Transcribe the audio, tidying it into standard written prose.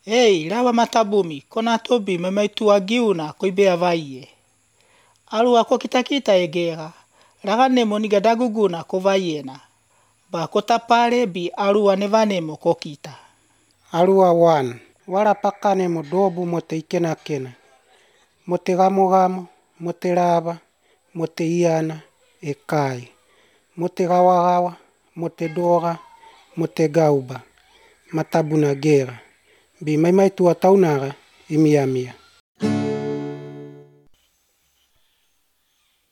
Ei, rawa matabumi, kona tobi memaitua giuna koibea vaie. Alua ko kita egera, ragane moniga daguguna ko vaiena. Ba kota pare bi alua nevanemo ko kita. Alua 1. Wala pakane mo dobu mo te ikena kena. Mo te gamo, mo te rava, mo te iana, e kai. Mo te gawa, mo te dora, mo te gauba. Matabuna gera. Bi mai tua taunara, mia.